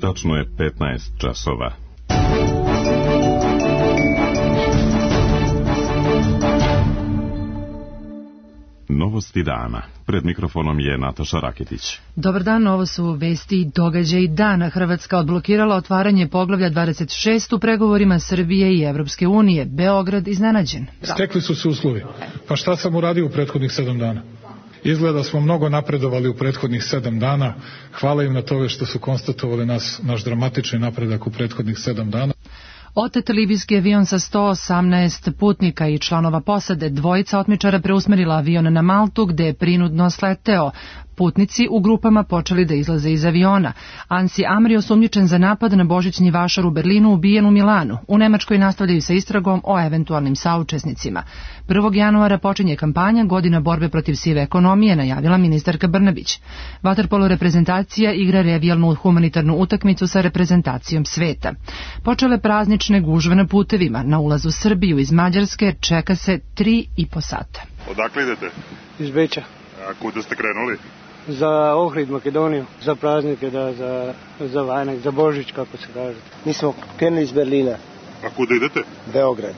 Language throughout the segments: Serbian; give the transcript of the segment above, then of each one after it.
Tačno je 15 časova. Novosti dana. Pred mikrofonom je Nataša Raketić. Dobar dan, ovo su vesti i događaji dana. Hrvatska odblokirala otvaranje poglavlja 26 u pregovorima Srbije i Evropske unije. Beograd iznenađen. Stekli su se uslovi. Pa šta sam uradio u prethodnih 7 dana? Izgleda smo mnogo napredovali u prethodnih 7 dana. Hvala im na tome što su konstatovali naš dramatični napredak u prethodnih 7 dana. Otet libijski avion sa 118 putnika i članova posade. Dvojica otmičara preusmerila avion na Maltu gde je prinudno sleteo. Putnici u grupama počeli da izlaze iz aviona. Ansi Amri, osumnjičen za napad na božićni vašar u Berlinu, ubijen u Milanu. U Nemačkoj nastavljaju sa istragom o eventualnim saučesnicima. 1. januara počinje kampanja Godina borbe protiv sive ekonomije, najavila ministarka Brnabić. Vaterpolo reprezentacija igra revijalnu humanitarnu utakmicu sa reprezentacijom sveta. Počele praznične gužve na putevima. Na ulazu u Srbiju iz Mađarske čeka se 3,5 sata. Odakle idete? Iz Beča. A kuda ste krenuli? Za Ohrid, Makedoniju, za praznike, za Vajnak, za Božić, kako se kaže. Mi smo krenuli iz Berlina. A kuda idete? Beograd.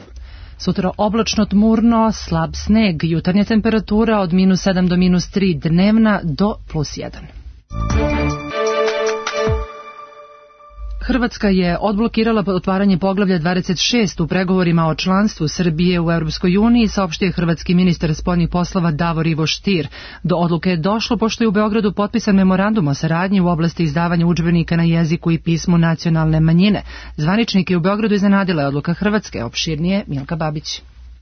Sutra oblačno, tmurno, slab sneg, jutarnja temperatura od -7 do -3, dnevna do +1. Hrvatska je odblokirala otvaranje poglavlja 26 u pregovorima o članstvu Srbije u Europskoj uniji, saopštio hrvatski ministar spoljnih poslova Davor Ivo Stier. Do odluke je došlo pošto je u Beogradu potpisan memorandum o saradnji u oblasti izdavanja udžbenika na jeziku i pismu nacionalne manjine. Zvaničnike u Beogradu iznenadila je odluka Hrvatske, opširnije Milka Babić.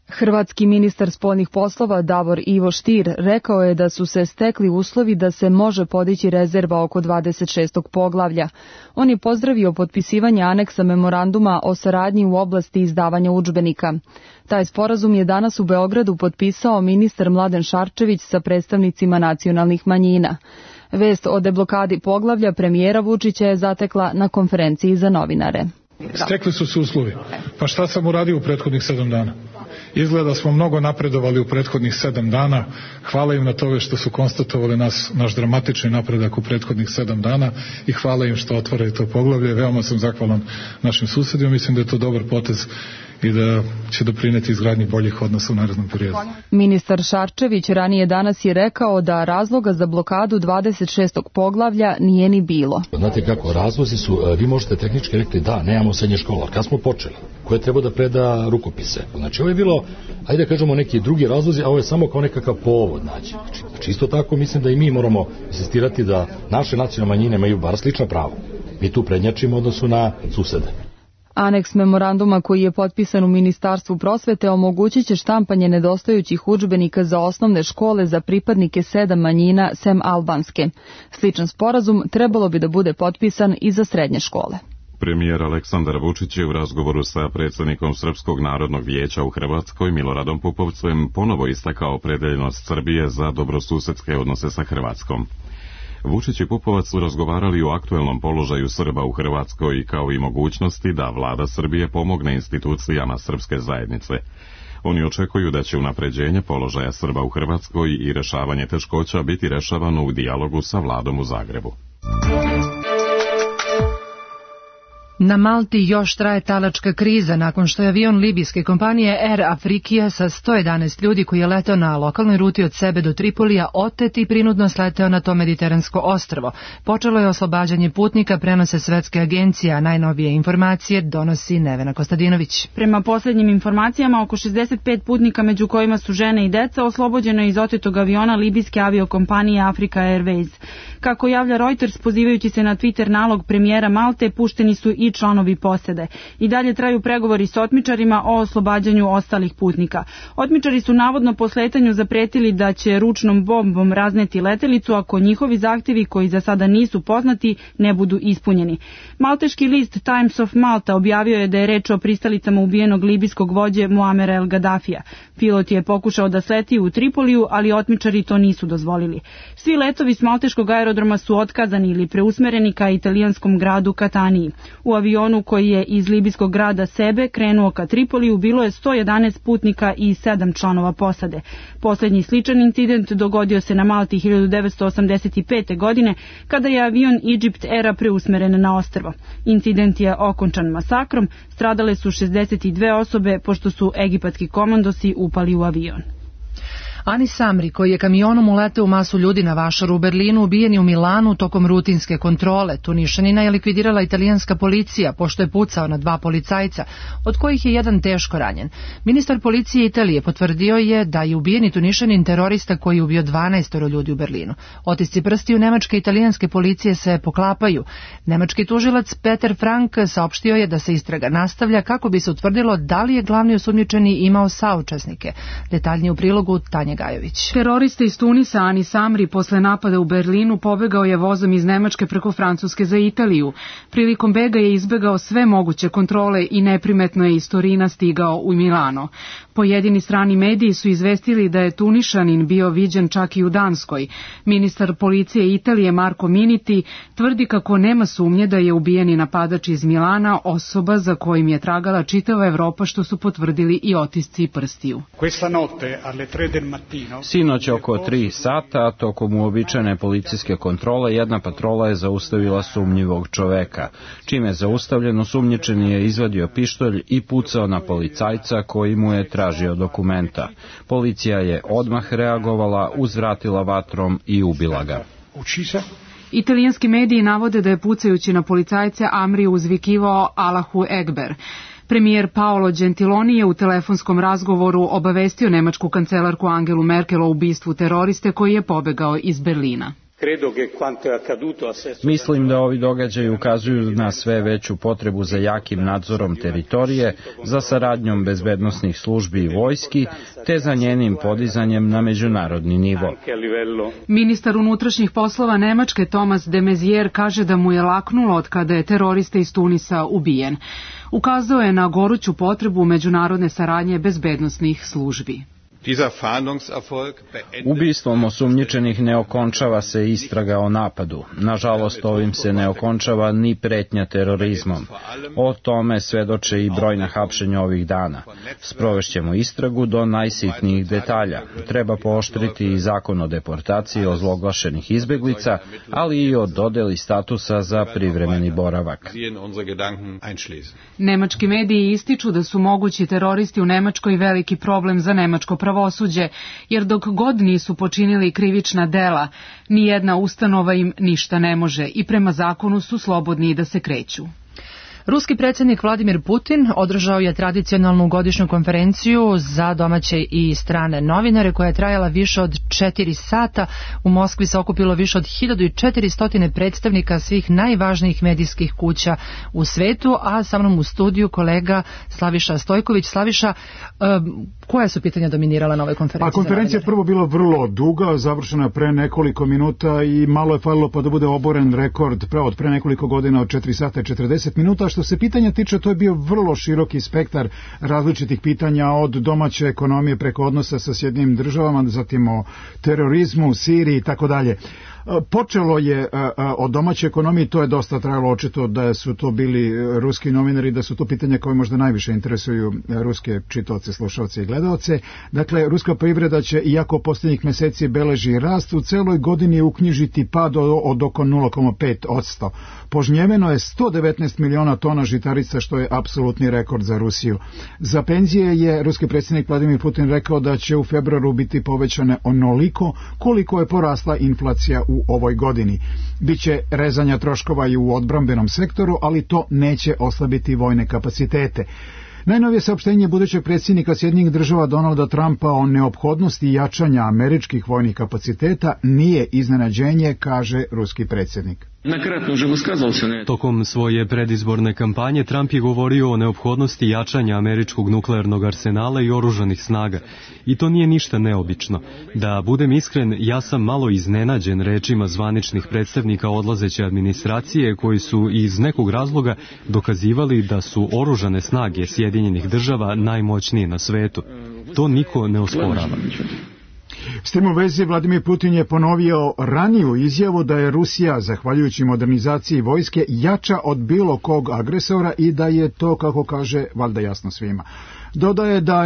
Hrvatski ministar spoljnih poslova Davor Ivo Stier rekao je da su se stekli uslovi da se može podići rezerva oko 26. poglavlja. On je pozdravio potpisivanje aneksa memoranduma o saradnji u oblasti izdavanja udžbenika. Taj sporazum je danas u Beogradu potpisao ministar Mladen Šarčević sa predstavnicima nacionalnih manjina. Vest o deblokadi poglavlja premijera Vučića je zatekla na konferenciji za novinare. Stekli su se uslovi. Pa šta sam uradio u prethodnih 7 dana? Izgleda smo mnogo napredovali u prethodnih 7 dana. Hvala im na tome što su konstatovali naš dramatični napredak u prethodnih 7 dana i hvala im što otvaraju to poglavlje. Veoma sam zahvalan našim susedima. Mislim da je to dobar potez i da će doprineti izgradnji boljih odnosa u narednom periodu. Ministar Šarčević ranije danas je rekao da razloga za blokadu 26. poglavlja nije ni bilo. Znate kako, razlozi su, vi možete tehnički rekli da, nemamo srednje škola. Kad smo počeli? Ko je trebao da preda rukopise? Znači ovo je bilo, ajde da kažemo, neki drugi razlozi, a ovo je samo kao nekakav povod. Znači isto tako mislim da i mi moramo insistirati da naše nacionalne manjine imaju bar slična prava. Mi tu prednjačimo u odnosu na susede. Aneks memoranduma koji je potpisan u Ministarstvu prosvete omogućit će štampanje nedostajućih udžbenika za osnovne škole za pripadnike 7 manjina sem albanske. Sličan sporazum trebalo bi da bude potpisan i za srednje škole. Premijer Aleksandar Vučić je u razgovoru sa predsjednikom Srpskog narodnog vijeća u Hrvatskoj Miloradom Pupovcem ponovo istakao opredeljenost Srbije za dobrosusedske odnose sa Hrvatskom. Vučić i Pupovac su razgovarali o aktuelnom položaju Srba u Hrvatskoj kao i mogućnosti da vlada Srbije pomogne institucijama srpske zajednice. Oni očekuju da će unapređenje položaja Srba u Hrvatskoj i rešavanje teškoća biti rešavano u dijalogu sa vladom u Zagrebu. Na Malti još traje talačka kriza nakon što je avion libijske kompanije Air Afrikija sa 111 ljudi koji je letao na lokalnoj ruti od Sebe do Tripolija otet i prinudno sleteo na to mediteransko ostrvo. Počelo je oslobađanje putnika, prenose svetske agencije, a najnovije informacije donosi Nevena Kostadinović. Prema posljednjim informacijama, oko 65 putnika, među kojima su žene i deca, oslobođeno je iz otetog aviona libijske aviokompanije Africa Airways. Kako javlja Reuters, pozivajući se na Twitter nalog premijera Malte, pušteni su i članovi posade. I dalje traju pregovori s otmičarima o oslobađanju ostalih putnika. Otmičari su navodno po sletanju zapretili da će ručnom bombom razneti letelicu ako njihovi zahtjevi, koji za sada nisu poznati, ne budu ispunjeni. Malteški list Times of Malta objavio je da je reč o pristalicama ubijenog libijskog vođe Muamera El Gaddafija. Pilot je pokušao da sleti u Tripoliju, ali otmičari to nisu dozvolili. Svi letovi s malteškog aerodroma su otkazani ili preusmereni ka italijanskom gradu Kataniji. U avionu koji je iz libijskog grada Sebe krenuo ka Tripoliju bilo je 111 putnika i 7 članova posade. Poslednji sličan incident dogodio se na Malti 1985. godine kada je avion Egypt Aira preusmeren na ostrvo. Incident je okončan masakrom, stradale su 62 osobe pošto su egipatski komandosi upali u avion. Anis Amri, koji je kamionom uleteo u masu ljudi na vašaru u Berlinu, ubijen je u Milanu tokom rutinske kontrole. Tunišanina je likvidirala italijanska policija, pošto je pucao na 2 policajca, od kojih je jedan teško ranjen. Ministar policije Italije potvrdio je da je ubijeni Tunišanin terorista koji je ubio 12 ljudi u Berlinu. Otisci prstiju nemačke i italijanske policije se poklapaju. Nemački tužilac Peter Frank saopštio je da se istraga nastavlja kako bi se utvrdilo da li je glavni osumnjičeni imao saučesnike. Detaljnije u prilogu Tanja Gajović. Terorista iz Tunisa Anis Amri posle napada u Berlinu pobegao je vozom iz Nemačke preko Francuske za Italiju. Prilikom bega je izbegao sve moguće kontrole i neprimetno je iz Torina stigao u Milano. Pojedini strani mediji su izvestili da je Tunišanin bio viđen čak i u Danskoj. Ministar policije Italije Marko Miniti tvrdi kako nema sumnje da je ubijeni napadač iz Milana osoba za kojim je tragala čitava Evropa, što su potvrdili i otisci prstiju. Sinoć oko 3 sata, tokom uobičajene policijske kontrole, jedna patrola je zaustavila sumnjivog čoveka. Čim je zaustavljen, osumnjičeni je izvadio pištolj i pucao na policajca koji mu je tražio dokumenta. Policija je odmah reagovala, uzvratila vatrom i ubila ga. Italijanski mediji navode da je pucajući na policajce Amri uzvikivao Allahu Ekber. Premijer Paolo Gentiloni je u telefonskom razgovoru obavestio nemačku kancelarku Angelu Merkel o ubistvu teroriste koji je pobegao iz Berlina. Mislim da ovi događaji ukazuju na sve veću potrebu za jakim nadzorom teritorije, za saradnjom bezbednosnih službi i vojski, te za njenim podizanjem na međunarodni nivo. Ministar unutrašnjih poslova Nemačke Thomas de Maizière kaže da mu je laknulo od kada je terorista iz Tunisa ubijen. Ukazao je na goruću potrebu međunarodne saradnje bezbednosnih službi. Ubistvom osumnjičenih ne okončava se istraga o napadu. Nažalost, ovim se ne okončava ni pretnja terorizmom. O tome svedoče i brojna hapšenja ovih dana. Sprovešćemo istragu do najsitnijih detalja. Treba pooštriti i zakon o deportaciji ozloglašenih izbeglica, ali i o dodeli statusa za privremeni boravak. Nemački mediji ističu da su mogući teroristi u Nemačkoj veliki problem za nemačko pravosuđe, jer dok god nisu počinili krivična dela, nijedna ustanova im ništa ne može i prema zakonu su slobodni da se kreću. Ruski predsjednik Vladimir Putin održao je tradicionalnu godišnju konferenciju za domaće i strane novinare koja je trajala više od 4 sata. U Moskvi se okupilo više od 1400 predstavnika svih najvažnijih medijskih kuća u svetu, a sa mnom u studiju kolega Slaviša Stojković. Slaviša, koja su pitanja dominirala na ovoj konferenciji? A konferencija je prvo bila vrlo duga, završena pre nekoliko minuta i malo je falilo pa da bude oboren rekord od pre nekoliko godina od 4 sata i 40 minuta. Što se pitanja tiče, to je bio vrlo široki spektar različitih pitanja od domaće ekonomije preko odnosa sa Sjedinjenim državama, zatim o terorizmu, Siriji i tako dalje. Počelo je od domaće ekonomije, to je dosta trajalo, očito da su to bili ruski novinari, da su to pitanja koje možda najviše interesuju ruske čitaoce, slušalce i gledaoce. Dakle, ruska privreda će, iako posljednjih meseci beleži rast, u celoj godini uknjižiti pad od oko 0,5%. Požnjeveno je 119 miliona tona žitarica, što je apsolutni rekord za Rusiju. Za penzije je ruski predsjednik Vladimir Putin rekao da će u februaru biti povećane onoliko koliko je porasla inflacija u ovoj godini. Biće rezanja troškova i u odbrambenom sektoru, ali to neće oslabiti vojne kapacitete. Najnovije saopštenje budućeg predsjednika Sjedinjenih država Donalda Trumpa o neophodnosti jačanja američkih vojnih kapaciteta nije iznenađenje, kaže ruski predsjednik. Tokom svoje predizborne kampanje Trump je govorio o neophodnosti jačanja američkog nuklearnog arsenala i oružanih snaga. I to nije ništa neobično. Da budem iskren, ja sam malo iznenađen rečima zvaničnih predstavnika odlazeće administracije koji su iz nekog razloga dokazivali da su oružane snage Sjedinjenih država najmoćnije na svetu. To niko ne osporava. S tim u vezi Vladimir Putin je ponovio raniju izjavu da je Rusija, zahvaljujući modernizaciji vojske, jača od bilo kog agresora i da je to, kako kaže, valjda jasno svima. Dodaje da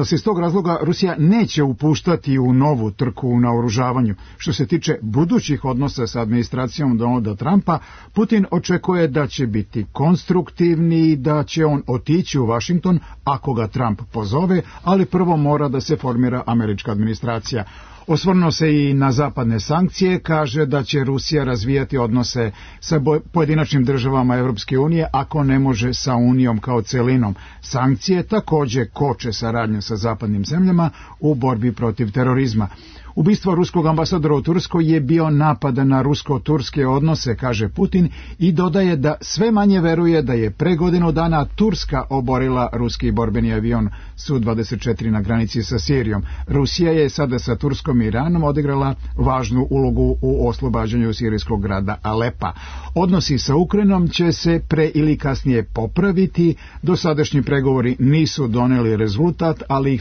se iz tog razloga Rusija neće upuštati u novu trku u naoružavanju. Što se tiče budućih odnosa sa administracijom Donalda Trumpa, Putin očekuje da će biti konstruktivni i da će on otići u Washington ako ga Trump pozove, ali prvo mora da se formira američka administracija. Osvrnuo se i na zapadne sankcije, kaže da će Rusija razvijati odnose sa pojedinačnim državama Evropske unije ako ne može sa Unijom kao celinom. Sankcije također koče saradnju sa zapadnim zemljama u borbi protiv terorizma. Ubistvo ruskog ambasadora u Turskoj je bio napad na rusko-turske odnose, kaže Putin, i dodaje da sve manje veruje da je pre godinu dana Turska oborila ruski borbeni avion Su-24 na granici sa Sirijom. Rusija je sada sa Turskom i Iranom odigrala važnu ulogu u oslobađanju sirijskog grada Alepa. Odnosi sa Ukrajinom će se pre ili kasnije popraviti. Dosadašnji pregovori nisu doneli rezultat, ali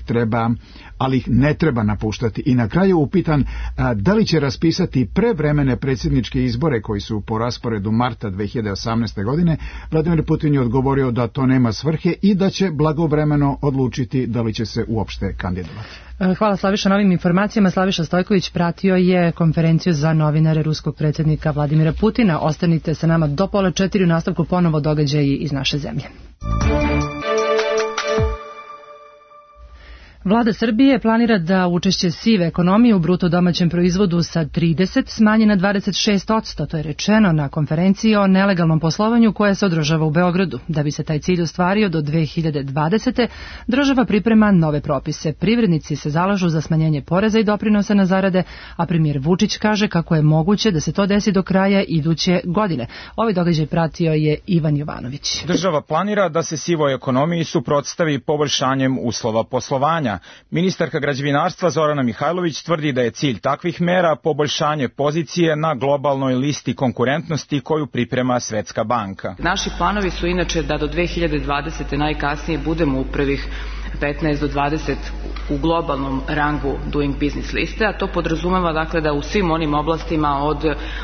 ih ne treba napuštati. I na kraju upitan da li će raspisati prevremene predsjedničke izbore koji su po rasporedu marta 2018. godine, Vladimir Putin je odgovorio da to nema svrhe i da će blagovremeno odlučiti da li će se uopšte kandidovati. Hvala Slaviša na ovim informacijama. Slaviša Stojković pratio je konferenciju za novinare ruskog predsjednika Vladimira Putina. Ostanite sa nama do 3:30 u nastavku ponovo događaji iz naše zemlje. Vlada Srbije planira da učešće sive ekonomije u bruto domaćem proizvodu sa 30 smanji na 26%, to je rečeno na konferenciji o nelegalnom poslovanju koja se održava u Beogradu. Da bi se taj cilj ostvario do 2020. država priprema nove propise. Privrednici se zalažu za smanjenje poreza i doprinosa na zarade, a premijer Vučić kaže kako je moguće da se to desi do kraja iduće godine. Ovaj događaj pratio je Ivan Jovanović. Država planira da se sivoj ekonomiji suprotstavi poboljšanjem uslova poslovanja. Ministarka građevinarstva Zorana Mihajlović tvrdi da je cilj takvih mera poboljšanje pozicije na globalnoj listi konkurentnosti koju priprema Svetska banka. Naši planovi su inače da do 2020. najkasnije budemo u prvih 15 do 20 u globalnom rangu Doing Business liste, a to podrazumeva dakle da u svim onim oblastima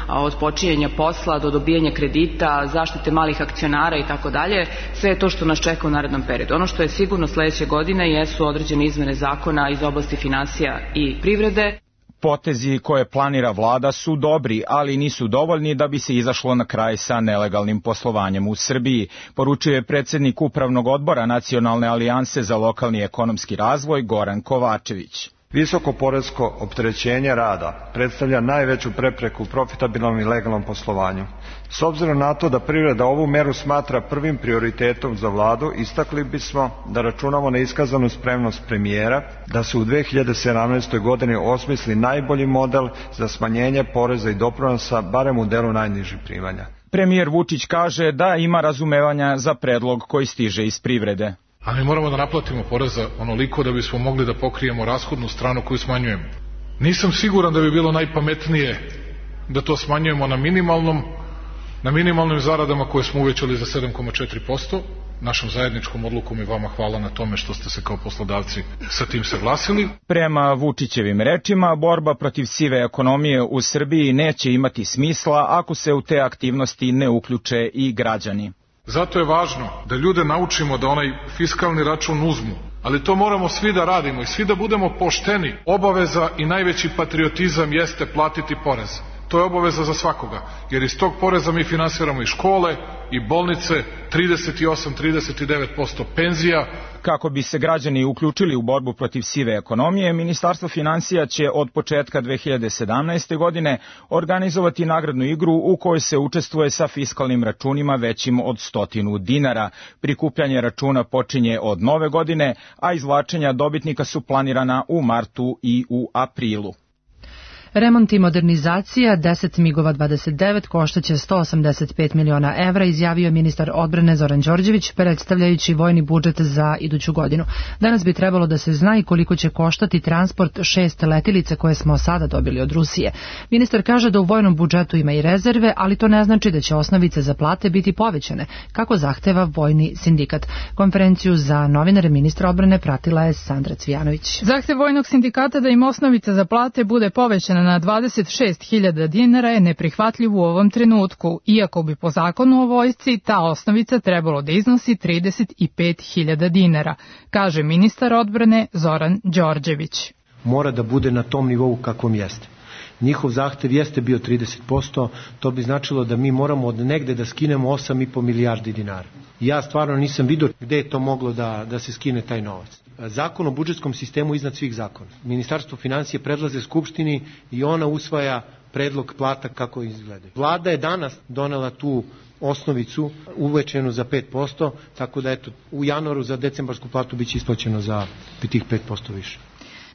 od počinjenja posla do dobijanja kredita, zaštite malih akcionara i tako dalje, sve je to što nas čeka u narednom periodu. Ono što je sigurno sledeće godine jesu određene izmene zakona iz oblasti finansija i privrede. Potezi koje planira vlada su dobri, ali nisu dovoljni da bi se izašlo na kraj sa nelegalnim poslovanjem u Srbiji, poručuje predsjednik Upravnog odbora Nacionalne alijanse za lokalni ekonomski razvoj Goran Kovačević. Visoko poresko opterećenje rada predstavlja najveću prepreku profitabilnom i legalnom poslovanju. S obzirom na to da privreda ovu meru smatra prvim prioritetom za vladu, istakli bismo da računamo na iskazanu spremnost premijera da se u 2017. godini osmisli najbolji model za smanjenje poreza i doprinosa, barem u delu najnižih primanja. Premijer Vučić kaže da ima razumevanja za predlog koji stiže iz privrede. A mi moramo da naplatimo poreza onoliko da bismo mogli da pokrijemo rashodnu stranu koju smanjujemo. Nisam siguran da bi bilo najpametnije da to smanjujemo na minimalnim zaradama koje smo uvećali za 7,4%, našom zajedničkom odlukom i vama hvala na tome što ste se kao poslodavci sa tim saglasili. Prema Vučićevim rečima, borba protiv sive ekonomije u Srbiji neće imati smisla ako se u te aktivnosti ne uključe i građani. Zato je važno da ljude naučimo da onaj fiskalni račun uzmu, ali to moramo svi da radimo i svi da budemo pošteni. Obaveza i najveći patriotizam jeste platiti porez. To je obaveza za svakoga, jer iz tog poreza mi finansiramo i škole, i bolnice, 38-39% penzija. Kako bi se građani uključili u borbu protiv sive ekonomije, Ministarstvo finansija će od početka 2017. godine organizovati nagradnu igru u kojoj se učestvuje sa fiskalnim računima većim od 100 dinara. Prikupljanje računa počinje od nove godine, a izvlačenja dobitnika su planirana u martu i u aprilu. Remont i modernizacija 10 MiG-ova 29 koštaće 185 miliona evra, izjavio ministar odbrane Zoran Đorđević, predstavljajući vojni budžet za iduću godinu. Danas bi trebalo da se zna i koliko će koštati transport 6 letilica koje smo sada dobili od Rusije. Ministar kaže da u vojnom budžetu ima i rezerve, ali to ne znači da će osnovice za plate biti povećane, kako zahteva vojni sindikat. Konferenciju za novinare ministra odbrane pratila je Sandra Cvijanović. Zahtev vojnog sindikata da im osnovica za plate bude povećana na 26.000 dinara je neprihvatljiv u ovom trenutku, iako bi po zakonu o vojsci ta osnovica trebalo da iznosi 35.000 dinara, kaže ministar odbrane Zoran Đorđević. Mora da bude na tom nivou kakvom jeste. Njihov zahtev jeste bio 30%, to bi značilo da mi moramo od negde da skinemo 8,5 milijardi dinara. Ja stvarno nisam vidio gde je to moglo da se skine taj novac. Zakon o budžetskom sistemu iznad svih zakona. Ministarstvo finansije predlaže Skupštini i ona usvaja predlog plata kako izgledaju. Vlada je danas donela tu osnovicu uvećenu za 5%, tako da eto, u januaru za decembarsku platu biće isplaćeno za tih 5% više.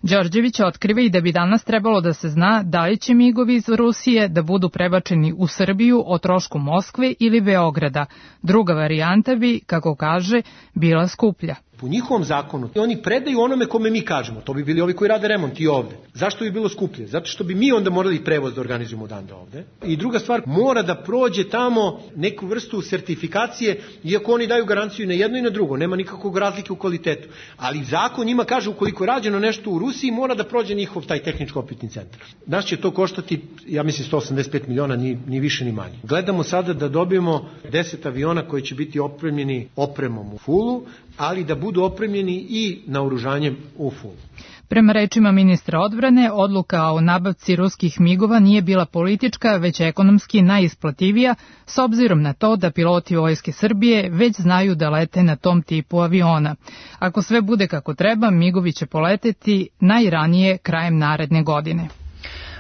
Đorđević otkriva i da bi danas trebalo da se zna da li će migovi iz Rusije da budu prebačeni u Srbiju o trošku Moskve ili Beograda. Druga varijanta bi, kako kaže, bila skuplja. Po njihovom zakonu oni predaju onome kome mi kažemo. To bi bili ovi koji rade remont i ovde. Zašto bi bilo skuplje? Zato što bi mi onda morali prevoz da organizujemo odande ovde. I druga stvar, mora da prođe tamo neku vrstu sertifikacije, iako oni daju garanciju na jedno i na drugo. Nema nikakvog razlike u kvalitetu. Ali zakon njima kaže ukoliko je rađeno nešto u Rusiji, mora da prođe njihov taj tehničko-opitni centar. Nas će to koštati, ja mislim, 185 miliona, ni više ni manje. Gledamo sada da dobijemo 10 aviona koji će biti opremljeni opremom u fullu, ali da budu opremljeni i naoružanjem u fullu. Prema rečima ministra odbrane, odluka o nabavci ruskih migova nije bila politička, već ekonomski najisplativija, s obzirom na to da piloti Vojske Srbije već znaju da lete na tom tipu aviona. Ako sve bude kako treba, migovi će poleteti najranije krajem naredne godine.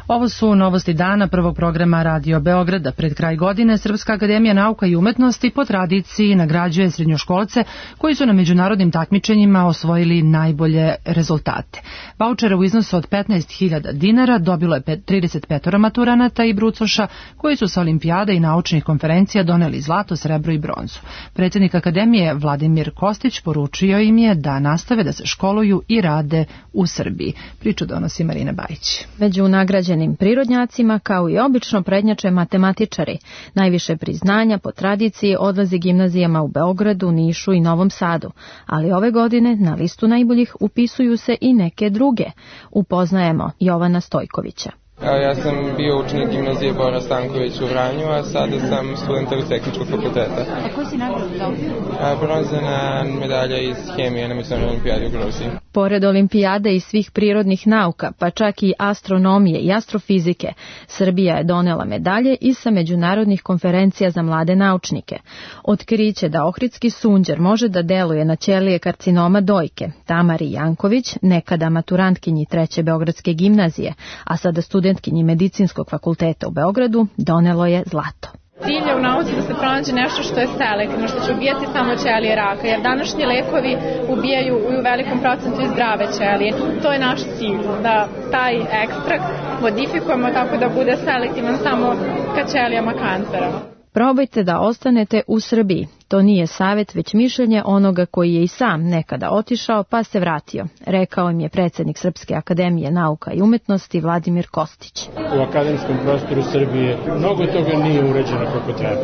Ovo su novosti dana prvog programa Radio Beograda. Pred kraj godine Srpska akademija nauka i umetnosti po tradiciji nagrađuje srednjoškolce koji su na međunarodnim takmičenjima osvojili najbolje rezultate. Vaučere u iznosu od 15.000 dinara dobilo je 35 maturanata i brucoša koji su sa olimpijada i naučnih konferencija doneli zlato, srebro i bronzu. Predsjednik akademije Vladimir Kostić poručio im je da nastave da se školuju i rade u Srbiji. Priču donosi Marina Bajić. Među nagrađenim prirodnjacima, kao i obično, prednjače matematičari. Najviše priznanja po tradiciji odlazi gimnazijama u Beogradu, Nišu i Novom Sadu, ali ove godine na listu najboljih upisuju se i neke druge. Upoznajemo Jovana Stojkovića. Ja sam bio učenik gimnazije Bora Stanković u Vranju, a sada sam student Tehničkog fakulteta. A koji si nagradu dobio? Bronzana medalja iz hemije na Međunarodnoj olimpijadi u Gruziji. Pored olimpijade i svih prirodnih nauka, pa čak i astronomije i astrofizike, Srbija je donela medalje i sa međunarodnih konferencija za mlade naučnike. Otkriće da ohridski sunđer može da deluje na ćelije karcinoma dojke, Tamari Janković, nekada maturantkinji 3. Beogradske gimnazije, a sada studentkinji Medicinskog fakulteta u Beogradu, donelo je zlato. Cilj je u nauci da se pronađe nešto što je selektivno, što će ubijati samo ćelije raka, jer današnji lekovi ubijaju u velikom procentu i zdrave ćelije. To je naš cilj, da taj ekstrakt modifikujemo tako da bude selektivan samo ka ćelijama kancera. Probajte da ostanete u Srbiji. To nije savjet, već mišljenje onoga koji je i sam nekada otišao pa se vratio, rekao im je predsjednik Srpske akademije nauka i umetnosti Vladimir Kostić. U akademskom prostoru Srbije mnogo toga nije uređeno kako treba,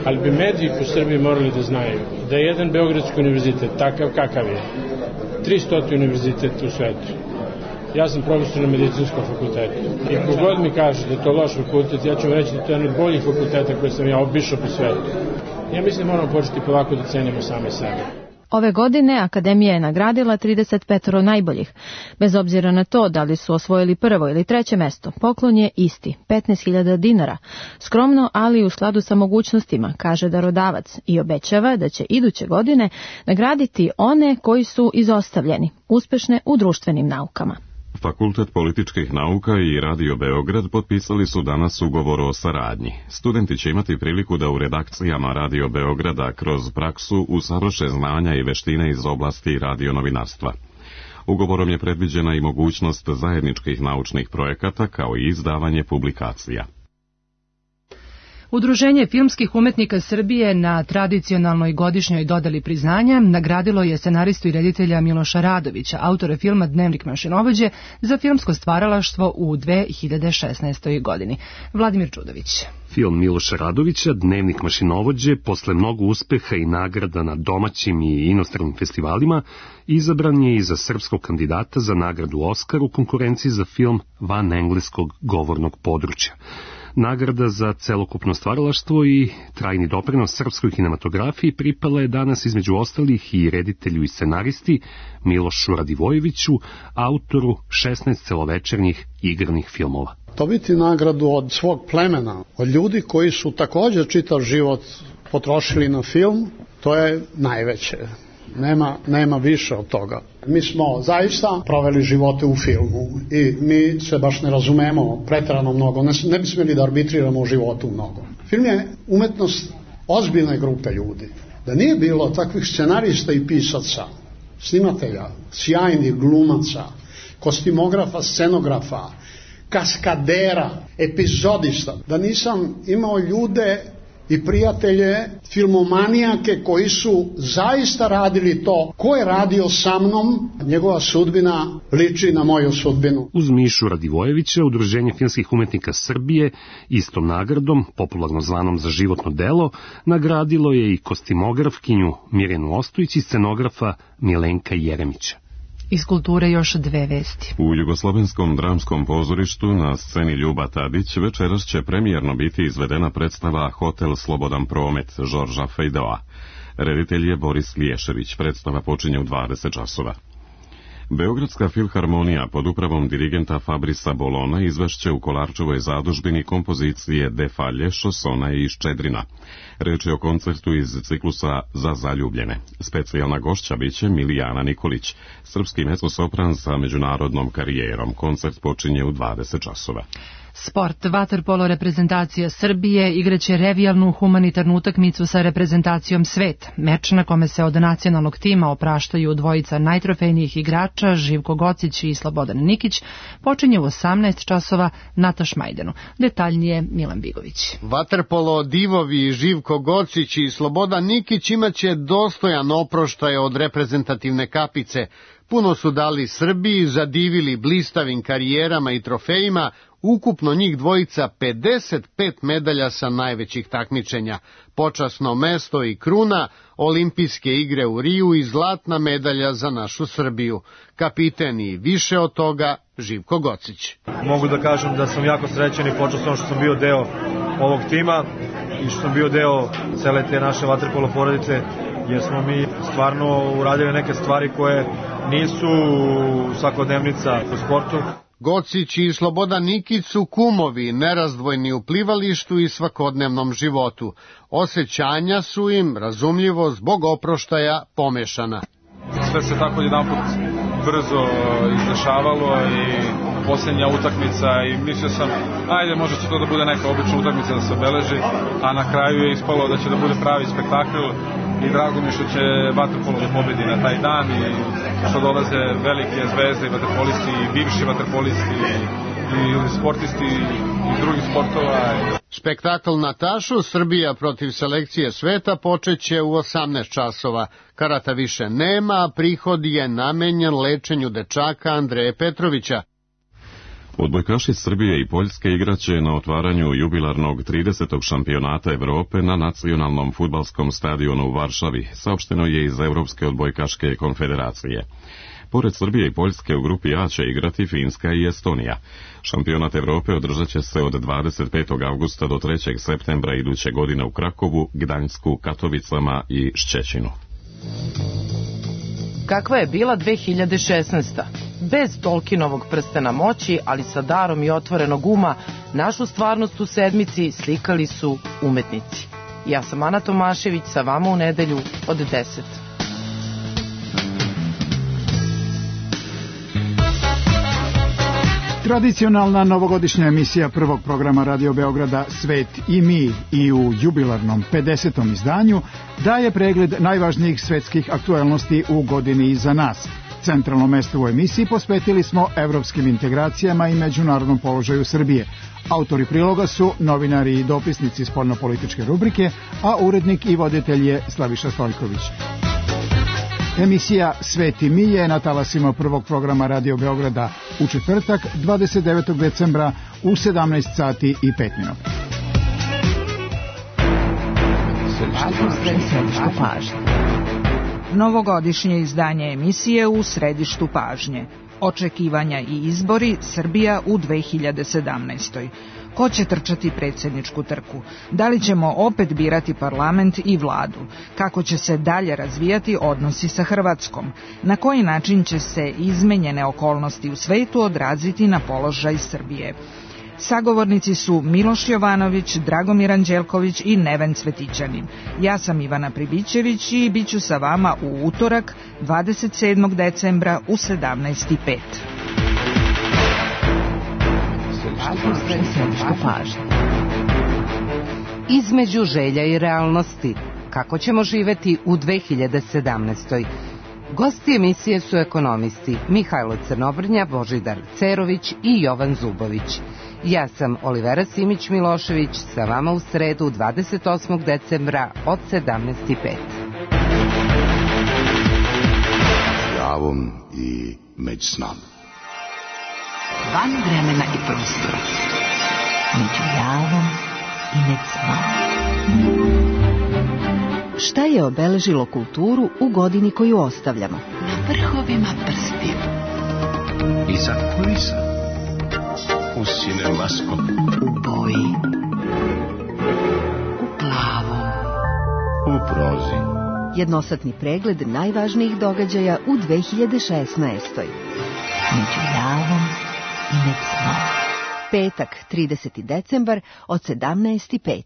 ali bi mediji u Srbiji morali da znaju da je jedan Beogradski univerzitet takav kakav je, 300 univerzitet u svetu. Ja sam profesor na Medicinskom fakultetu i kogod mi kaže da je to loš fakultet, ja ću vam reći da to je jedan od boljih fakulteta koje sam ja obišao po svetu. Ja mislim da moramo početi polako da cenimo same sebe. Ove godine Akademija je nagradila 35 najboljih. Bez obzira na to da li su osvojili prvo ili treće mesto, poklon je isti, 15.000 dinara. Skromno, ali u skladu sa mogućnostima, kaže darodavac i obećava da će iduće godine nagraditi one koji su izostavljeni, uspešne u društvenim naukama. Fakultet političkih nauka i Radio Beograd potpisali su danas ugovor o saradnji. Studenti će imati priliku da u redakcijama Radio Beograda kroz praksu usavrše znanja i veštine iz oblasti radionovinarstva. Ugovorom je predviđena i mogućnost zajedničkih naučnih projekata kao i izdavanje publikacija. Udruženje filmskih umetnika Srbije na tradicionalnoj godišnjoj dodeli priznanja nagradilo je scenaristu i reditelja Miloša Radovića, autora filma Dnevnik mašinovođe, za filmsko stvaralaštvo u 2016. godini. Vladimir Čudović. Film Miloša Radovića, Dnevnik mašinovođe, posle mnogo uspeha i nagrada na domaćim i inostranim festivalima, izabran je i za srpskog kandidata za nagradu Oskar u konkurenciji za film van engleskog govornog područja. Nagrada za celokupno stvaralaštvo i trajni doprinos srpskoj kinematografiji pripala je danas između ostalih i reditelju i scenaristi Milošu Radivojeviću, autoru 16 celovečernjih igranih filmova. Dobiti nagradu od svog plemena, od ljudi koji su također čitav život potrošili na film, to je najveće. Nema više od toga. Mi smo zaista proveli živote u filmu i mi se baš ne razumemo preterano mnogo, ne bi smjeli da arbitriramo u životu mnogo. Film je umetnost ozbiljne grupe ljudi. Da nije bilo takvih scenarista i pisaca, snimatelja, sjajnih glumaca, kostimografa, scenografa, kaskadera, epizodista, da nisam imao ljude i prijatelje, filmomanijake koji su zaista radili to. Ko je radio sa mnom, njegova sudbina liči na moju sudbinu. Uz Mišu Radivojevića, Udruženje filmskih umetnika Srbije istom nagradom, popularno zvanom za životno delo, nagradilo je i kostimografkinju Mirjanu Ostojić i scenografa Milenka Jeremića. Iz kulture još dve vesti. U Jugoslovenskom dramskom pozorištu na sceni Ljuba Tadić večeras će premijerno biti izvedena predstava Hotel Slobodan promet Žorža Fejdoa. Reditelj je Boris Liješević. Predstava počinje u 20 časova. Beogradska filharmonija pod upravom dirigenta Fabrisa Bolona izvešće u Kolarčevoj zadužbini kompozicije De Falje, Šosona i Ščedrina. Reč je o koncertu iz ciklusa Za zaljubljene. Specijalna gošća biće Milijana Nikolić, srpski mezzosopran sa međunarodnom karijerom. Koncert počinje u 20 časova. Sport. Vaterpolo reprezentacija Srbije igraće revijalnu humanitarnu utakmicu sa reprezentacijom Svet. Meč na kome se od nacionalnog tima opraštaju dvojica najtrofejnijih igrača Živko Gocić i Slobodan Nikić počinje u 18 časova na Tašmajdenu. Detaljnije Milan Bigović. Vaterpolo divovi Živko Gocić i Slobodan Nikić imaće dostojan oproštaj od reprezentativne kapice. Puno su dali Srbiji, zadivili blistavim karijerama i trofejima, ukupno njih dvojica 55 medalja sa najvećih takmičenja, počasno mesto i kruna, olimpijske igre u Riju i zlatna medalja za našu Srbiju. Kapiten i više od toga Živko Gocić. Mogu da kažem da sam jako srećan i počastan što sam bio deo ovog tima i što sam bio deo cele te naše vaterpolo porodice, jer smo mi stvarno uradili neke stvari koje nisu svakodnevnica u sportu. Gocić i Slobodan Nikić su kumovi, nerazdvojni u plivalištu i svakodnevnom životu. Osjećanja su im, razumljivo, zbog oproštaja pomešana. Sve se tako jedanput brzo izdešavalo i posljednja utakmica i mislio sam, ajde, možda će to da bude neka obična utakmica da se obeleži, a na kraju je ispalo da će da bude pravi spektakl i drago mi što će vaterpolo da pobedi na taj dan i što dolaze velike zvezde i vaterpolisti i bivši vaterpolisti i sportisti iz drugih sportova. Spektakl na tašu Srbija protiv selekcije sveta počeće u 18 časova. Karata više nema, a prihod je namenjen lečenju dečaka Andreje Petrovića. Odbojkaši Srbije i Poljske igraće na otvaranju jubilarnog 30. šampionata Evrope na nacionalnom fudbalskom stadionu u Varšavi, saopšteno je iz Evropske odbojkaške konfederacije. Pored Srbije i Poljske u grupi A će igrati Finska i Estonija. Šampionat Evrope održat će se od 25. avgusta do 3. septembra iduće godine u Krakovu, Gdańsku, Katovicama i Šćećinu. Kakva je bila 2016. Bez Tolkienovog prstena moći, ali sa darom i otvorenog uma, našu stvarnost u sedmici slikali su umetnici. Ja sam Ana Tomašević, sa vama u nedelju od 10. Tradicionalna novogodišnja emisija prvog programa Radio Beograda Svet i mi i u jubilarnom 50. izdanju daje pregled najvažnijih svetskih aktuelnosti u godini iza nas. Centralno mesto u emisiji posvetili smo evropskim integracijama i međunarodnom položaju Srbije. Autori priloga su novinari i dopisnici spoljnopolitičke rubrike, a urednik i voditelj je Slaviša Stojković. Emisija Sveti mi je na talasima prvog programa Radio Beograda u četvrtak 29. decembra u 17 sati i 5 minuta. Novogodišnje izdanje emisije u središtu pažnje. Očekivanja i izbori Srbija u 2017. Ko će trčati predsjedničku trku? Da li ćemo opet birati parlament i vladu? Kako će se dalje razvijati odnosi sa Hrvatskom? Na koji način će se izmenjene okolnosti u svetu odraziti na položaj Srbije? Sagovornici su Miloš Jovanović, Dragomir Anđelković i Neven Cvetićanin. Ja sam Ivana Pribićević i bit ću sa vama u utorak 27. decembra u 17:05. Između želja i realnosti. Kako ćemo živeti u 2017. Gosti emisije su ekonomisti Mihajlo Crnobrnja, Božidar Cerović i Jovan Zubović. Ja sam Olivera Simić-Milošević, sa vama u sredu 28. decembra od 17:05. Javom i među s nama. Van vremena i prostora. Među javom i među s nama. Šta je obeležilo kulturu u godini koju ostavljamo? Na vrhovima prstiju. Iza kulisa. U cinemaskop. U boji. U plavom. U prozi. Jednosatni pregled najvažnijih događaja u 2016. Među javom i među snom. Petak, 30. decembar od 17:05.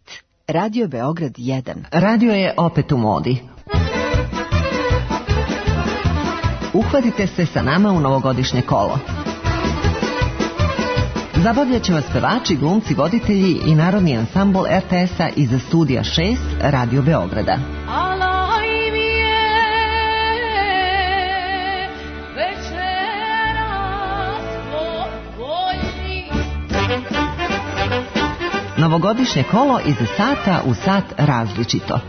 Radio Beograd 1. Radio je opet u modi. Uhvatite se sa nama u novogodišnje kolo. Zabavljat će vas pevači, glumci, voditelji i narodni ansambl RTS-a iz studija 6 Radio Beograda. Novogodišnje kolo iz sata u sat različito.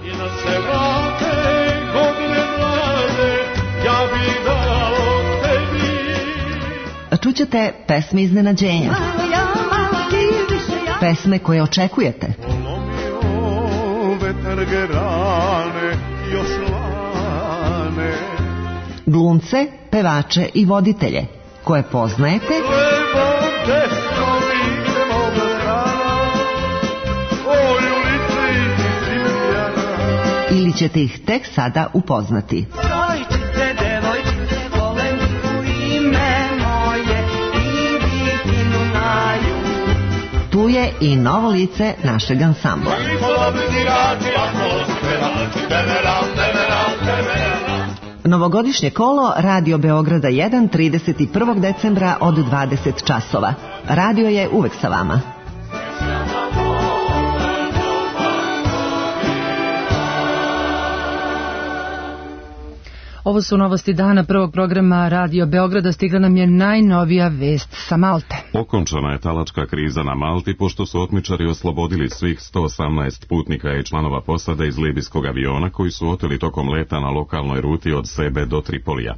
Čućete pesme iznenađenja. Pesme koje očekujete. Glumce, pevače i voditelje koje poznajete ili ćete ih tek sada upoznati. Tu je i novo lice našeg ansambla. Novogodišnje kolo Radio Beograda 1 31. decembra od 20 časova. Radio je uvek sa vama. Ovo su novosti dana prvog programa Radio Beograda. Stigla nam je najnovija vest sa Malte. Okončana je talačka kriza na Malti, pošto su otmičari oslobodili svih 118 putnika i članova posade iz libijskog aviona koji su oteli tokom leta na lokalnoj ruti od Sebe do Tripolija.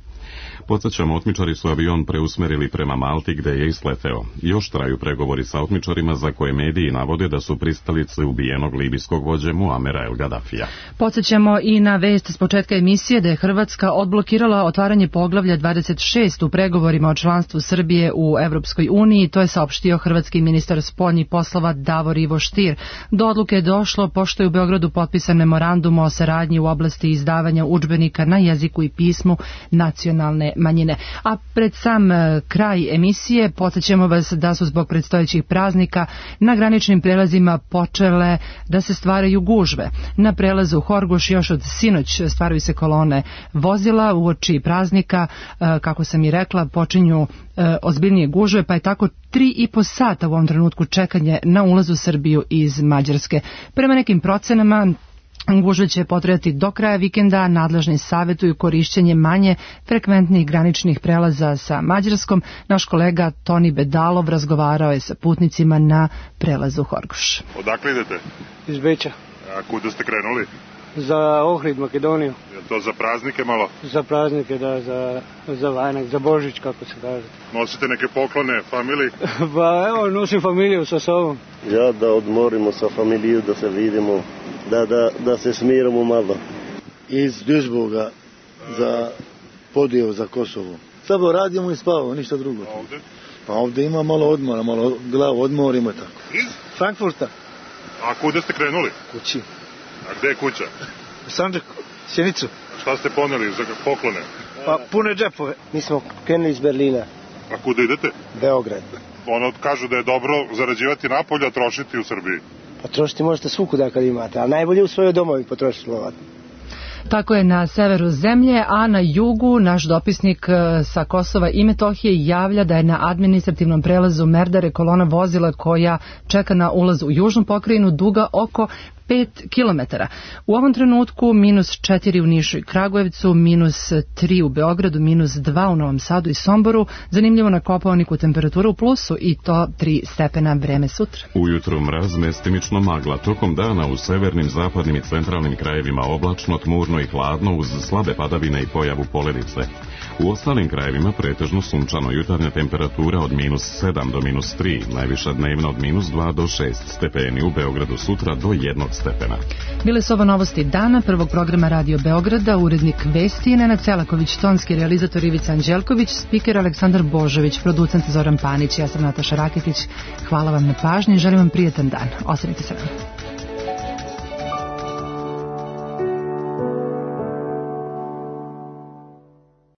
Podsjećamo, otmičari su avion preusmerili prema Malti gde je isleteo. Još traju pregovori sa otmičarima za koje mediji navode da su pristalice ubijenog libijskog vođe Muamera El Gaddafija. Podsjećamo i na vest s početka emisije da je Hrvatska odblokirala otvaranje poglavlja 26 u pregovorima o članstvu Srbije u Evropskoj uniji. To je saopštio hrvatski ministar spoljnih poslova Davor Ivo Stier. Do odluke je došlo pošto je u Beogradu potpisan memorandum o saradnji u oblasti izdavanja udžbenika na jeziku i pismu nacionalne manjine. A pred sam kraj emisije podsjećamo vas da su zbog predstojećih praznika na graničnim prelazima počele da se stvaraju gužve. Na prelazu Horgoš još od sinoć stvaraju se kolone vozila uoči praznika, kako sam i rekla, počinju ozbiljnije gužve, pa je tako 3,5 sata u ovom trenutku čekanje na ulaz u Srbiju iz Mađarske. Prema nekim procenama Gužve će potrajati do kraja vikenda, nadležni savjetuju korišćenje manje frekventnih graničnih prelaza sa Mađarskom. Naš kolega Toni Bedalov razgovarao je sa putnicima na prelazu Horgoš. Odakle idete? Iz Beča. A kuda ste krenuli? Za Ohrid, Makedoniju. Je to za praznike malo? Za praznike, da, za Vajnak, za Božić, kako se kaže. Nosite neke poklone familiji? Pa evo, nosim familiju sa sobom. Ja da odmorimo sa familiju, da se vidimo, da se smiramo malo. Iz Duisburga za podijel za Kosovo. Samo radimo i spavamo, ništa drugo. A ovde? Pa ovde ima malo odmora, malo glavu odmorimo i tako. Iz? Frankfurta. A kuda ste krenuli? Kući. A gde je kuća? U Sandžaku, Sjenicu. A šta ste poneli za poklone? Pa pune džepove. Mi smo krenuli iz Berlina. A kuda idete? Beograd. Ono kažu da je dobro zarađivati napolje, a trošiti u Srbiji. Pa trošiti možete svukuda kad imate, ali najbolje u svojoj domovi potrošiti lovat. Tako je na severu zemlje, a na jugu naš dopisnik sa Kosova i Metohije javlja da je na administrativnom prelazu Merdare kolona vozila koja čeka na ulaz u južnu pokrajinu duga oko 5 km. U ovom trenutku -4 u Nišu i Kragujevcu, -3 u Beogradu, -2 u Novom Sadu i Somboru. Zanimljivo na Kopaoniku temperatura u plusu i to 3 stepena, vreme sutra. Ujutru mraz, mestimično magla, tokom dana u severnim, zapadnim i centralnim krajevima oblačno, tmurno i hladno uz slabe padavine i pojavu poledice. U ostalim krajevima pretežno sunčano, jutarnja temperatura od -7 do -3, najviša dnevna od -2 do 6 stepeni, u Beogradu sutra do 1 stepena. Bile su ovo novosti dana prvog programa Radio Beograda, urednik vesti Nenad Selaković, tonski realizator Ivica Anđelković, spiker Aleksandar Božović, producent Zoran Panić, ja sam Nataša Raketić. Hvala vam na pažnji i želim vam prijetan dan. Ostanite sa nama.